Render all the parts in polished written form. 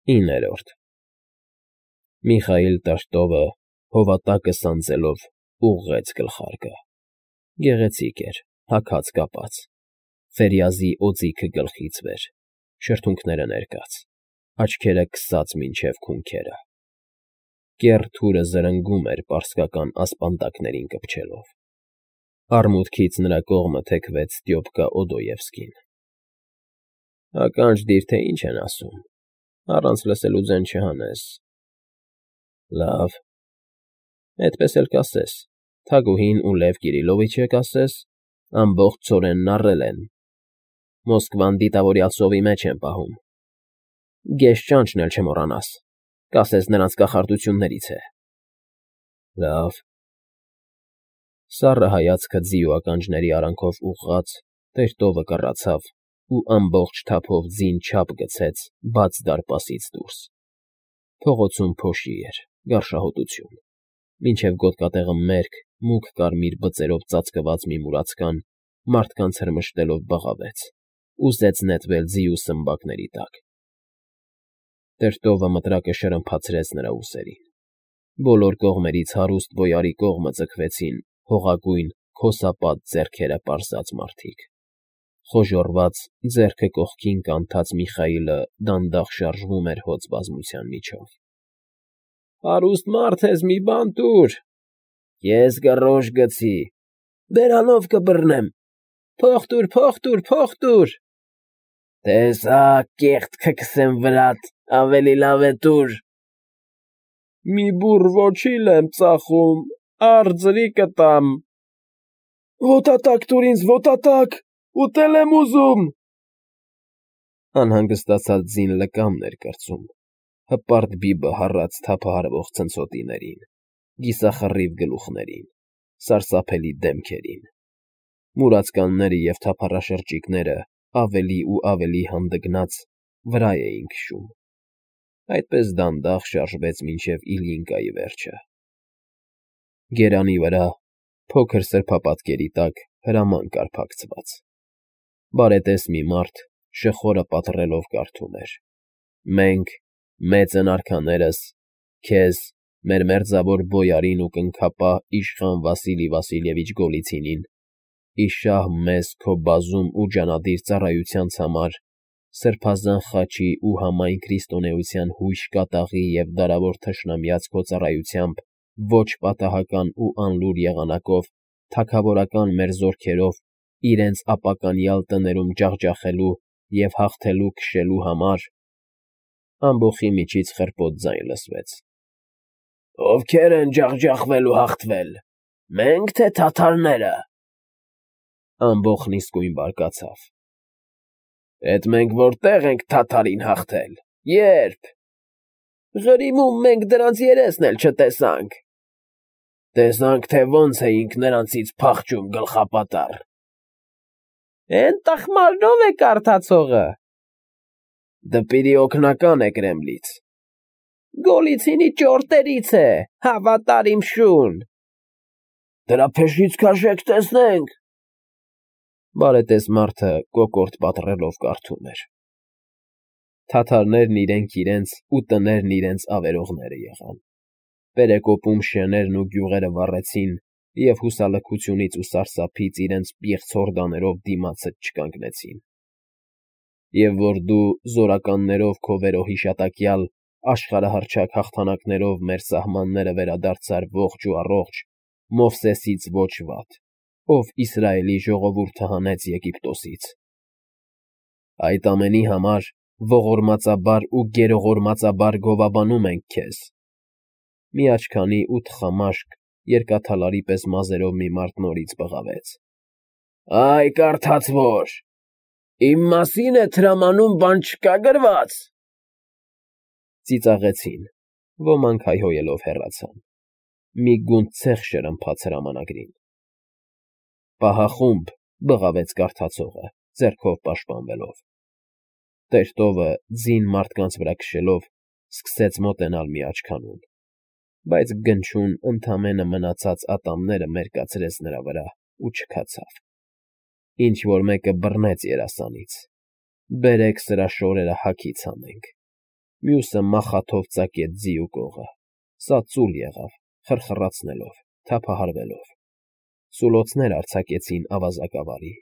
9 Միխայիլ Տրտովը հովատակը սանձելով ուղղեց գլխարկը. գեղեցիկ էր, հագած կապած, ֆերյազի օձիքը գլխից վեր, շրթունքները ներկած, աչքերը քսած մինչև քունքերը, կեռ թուրը զրնգում էր պարսկական ասպանդակներին կպչելով, արմուտքից նրա կողմը թեքվեց Ստյոպկա Օդոևսկին. ականջ դիր, թե ինչ են ասում, առանց լսելու ձեն չհանես, լավ, այդպես էլ կասես, Թագուհին ու Լև Կիրիլովիչը կասես, ամբողջ ցորենն առել են, Մոսկվան դիտավորյալ սովի մեջ են պահում, գեշ ճանճն էլ չմոռանաս, կասես նրանց կախարդություններից է, լավ, սառը հայացքը ձիու ականջների արանքով ուղղած, Տրտովը կռացավ ու ամբողջ թափով ձին չափ գցեց բաց դարպասից դուրս, փողոցում փոշի էր, գարշահոտություն, մինչև գոտկատեղը մերկ, մուգ կարմիր բծերով ծածկված մի մուրացկան մարդկանց հրմշտելով բղավեց, ուզեց նետվել ձիու սմբակների տակ, Տրտովը մտրակը շրմփացրեց նրա ուսերին, բոլոր կողմերից հարուստ բոյարի կողմը ձգվեցին հողագույն քոսապատ ձեռքերը պարզած մարդիկ, խոժոռված ձեռքը կողքին կանթած Միխայիլը դանդաղ շարժվում էր հոծ բազմության միջով, հարուստ մարդ ես, մի բան տուր, ես գռոշ գցի, բերանով կբռնեմ, փող տուր, տեսա, կեղտ կքսեմ վրատ, ավելի լավ է տուր, մի բուռ ոչիլ եմ ծախում, արձրի կտամ, ոտատակ տուր ինձ, ոտատակ, ուտել եմ ուզում, անհանգստացած ձին լկամն էր կրծում, հպարտ բիբը հառած թափահարվող ցնցոտիներին, կիսախռիվ գլուխներին, սարսափելի դեմքերին, մուրացկանները և թափառաշրջիկները ավելի ու ավելի հանդգնած վրա էին քշում, այդպես դանդաղ շարժվեց մինչև Իլյինկայի վերջը, գերանի վրա, փոքր սրբապատկերի տակ հրաման կար փակցված, բարետես մի մարդ շխորը պատռելով կարդում էր. մենք, մեծն արքաներս, քեզ, մեր մերձավոր բոյարին ու կնքապահ իշխան Վասիլի Վասիլևիչ Գոլիցինին, իշահ մեզ քո բազում ու ջանադիր ծառայությանց համար, սրբազան խաչի ու համայն քրիստոնեության հույժ կատաղի և դարավոր թշնամյաց քո ծառայությամբ ոչ պատահական ու անլուր եղանակով թագավորական մեր զորքերով իրենց ապականյալ տներում ջախջախելու և հաղթելու քշելու համար, ամբոխի միջից խռպոտ ձայն լսվեց. Ովքեր են ջախջախվել ու հաղթվել, մե՞նք, թե թաթարները, ամբոխն իսկույն բարկացավ, էդ մենք որտեղ ենք թաթարին հաղթել, ե՞րբ, Ղրիմում մենք դրանց երեսն էլ չտեսանք, տեսանք, թե ոնց էինք նրանցից փախչում գլխապատառ, էն տխմարն է կարդացողը, դպիրի օգնական է Կրեմլից, Գոլիցինի ճորտերից է, հավատար իմ շուն, դրա փեշից քաշեք տեսնենք, բարետես մարդը կոկորդ պատռելով կարդում էր, թաթարներն իրենք իրենց ու տներն իրենց ավերողները եղան, պերեկոպում շեներն ու գյուղերը վառեցին և հուսալքությունից ու սարսափից իրենց պիղծ հորդաներով դիմացդ չկանգնեցին, և որ դու զորականներով քո վերոհիշատակյալ աշխարհահռչակ հաղթանակներով մեր սահմանները վերադարձար ողջ ու առողջ, Մովսեսից ոչ վատ, ով Իսրայելի ժողովուրդը հանեց Եգիպտոսից, այդ ամենի համար ողորմածաբար ու գերողորմածաբար գովաբանում ենք քեզ, մի աչքանի ու թխամաշկ երկաթալարի պես մազերով մի մարդ նորից բղավեց, այ կարդացվոր, իմ մասին է տրամանում բան չկա գրված, ծիծաղեցին, ոմանք հայհոյելով հեռացան, մի գունդ ցեխ շրմփաց հրամանագրին, պահախումբ, բղավեց կարդացողը, ձեռքով պաշտպանվելով, Տրտովը ձին մարդկանց վրա քշելով սկսեց մոտենալ մի աչքանուն, բայց գնչուն ընդամենը մնացած ատամները մերկացրեց նրա վրա ու չքացավ, ինչ֊որ մեկը բռնեց երասանից, բերեք սրա շորերը հագից հանենք, մյուսը մախաթով ծակեց ձիու կողը, սա ծուլ եղավ, խրխռացնելով, թափահարվելով։ Սուլոցներ արձակեցին ավազակավարի,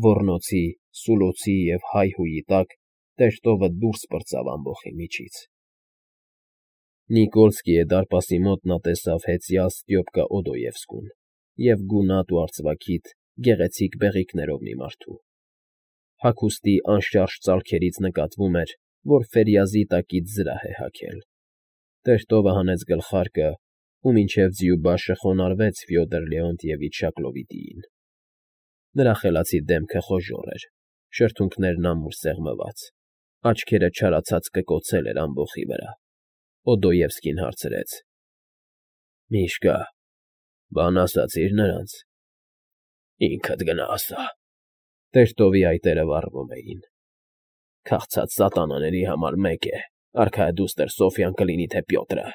ոռնոցի, սուլոցի և հայհույի տակ տերտովը դուրս պրծավ ամբոխի միջից։ Նիկոլսկիի դարպասի մոտ նա տեսավ հեծյալ Ստյոպկա Օդոևսկուն և գունատ ու արծվաքիթ գեղեցիկ բեղիկներով մի մարդու։ Հագուստի անշարժ ծալքերից նկատվում էր, որ Ֆերյազի տակից զրահ է հագել։ Տերտովը հանեց գլխարկը ու մինչև ձիուբաշը խոնարհվեց Ֆյոդոր Լեոնտիևիչ Շակլովիտիին։ Նրա խելացի դեմքը խոժոռ էր, շրթունքներն ամուր սեղմված, աչքերը չարացած կկոցել էր ամբոխի վրա։ Օդոևսկին հարցրեց. Միշկա, բան ասացի՞ր նրանց։ Ինքդ գնա ասա։ Տերտովի այտերը վառվում էին։ Քաղցած սատանաների համար մեկ է, արքայադուստր Սոֆյան կլինի թե Պյոտրը։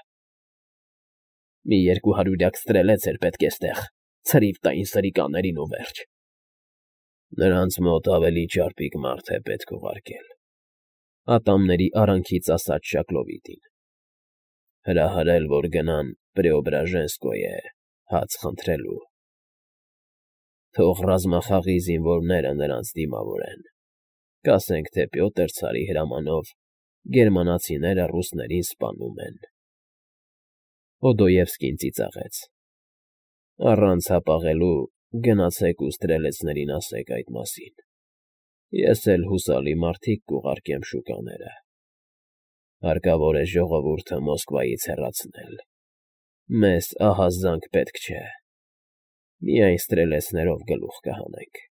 Մի 200 ստրելեց էր պետք էստեղ, ցրիվ տային սրիկաներին ու վերջ։ Նրանց մոտ ավելի ճարպիկ մարդ է պետք ուղարկել, ատամների արանքից ասաց Շակլովիտին։ Հրահրել, որ գնան Պրեոբրաժենսկոյե հաց խնդրելու։ Թող ռազմախաղի զինվորները նրանց դիմավորեն։ Կասենք, թե Պյոտր ցարի հրամանով գերմանացիները ռուսներին սպանում են։ Օդոևսկին ծիծաղեց։ Առանց հապաղելու գնացեք ու ստրելեցներին ասեք այդ մասին։ Ես էլ հուսալի մարդիկ կուղարկեմ շուկաները։ Հարկավոր է ժողովուրդը Մոսկվայից հեռացնել։ Մեզ ահազանգ պետք չէ։ Միայն ստրելեցներով գլուխ կհանենք։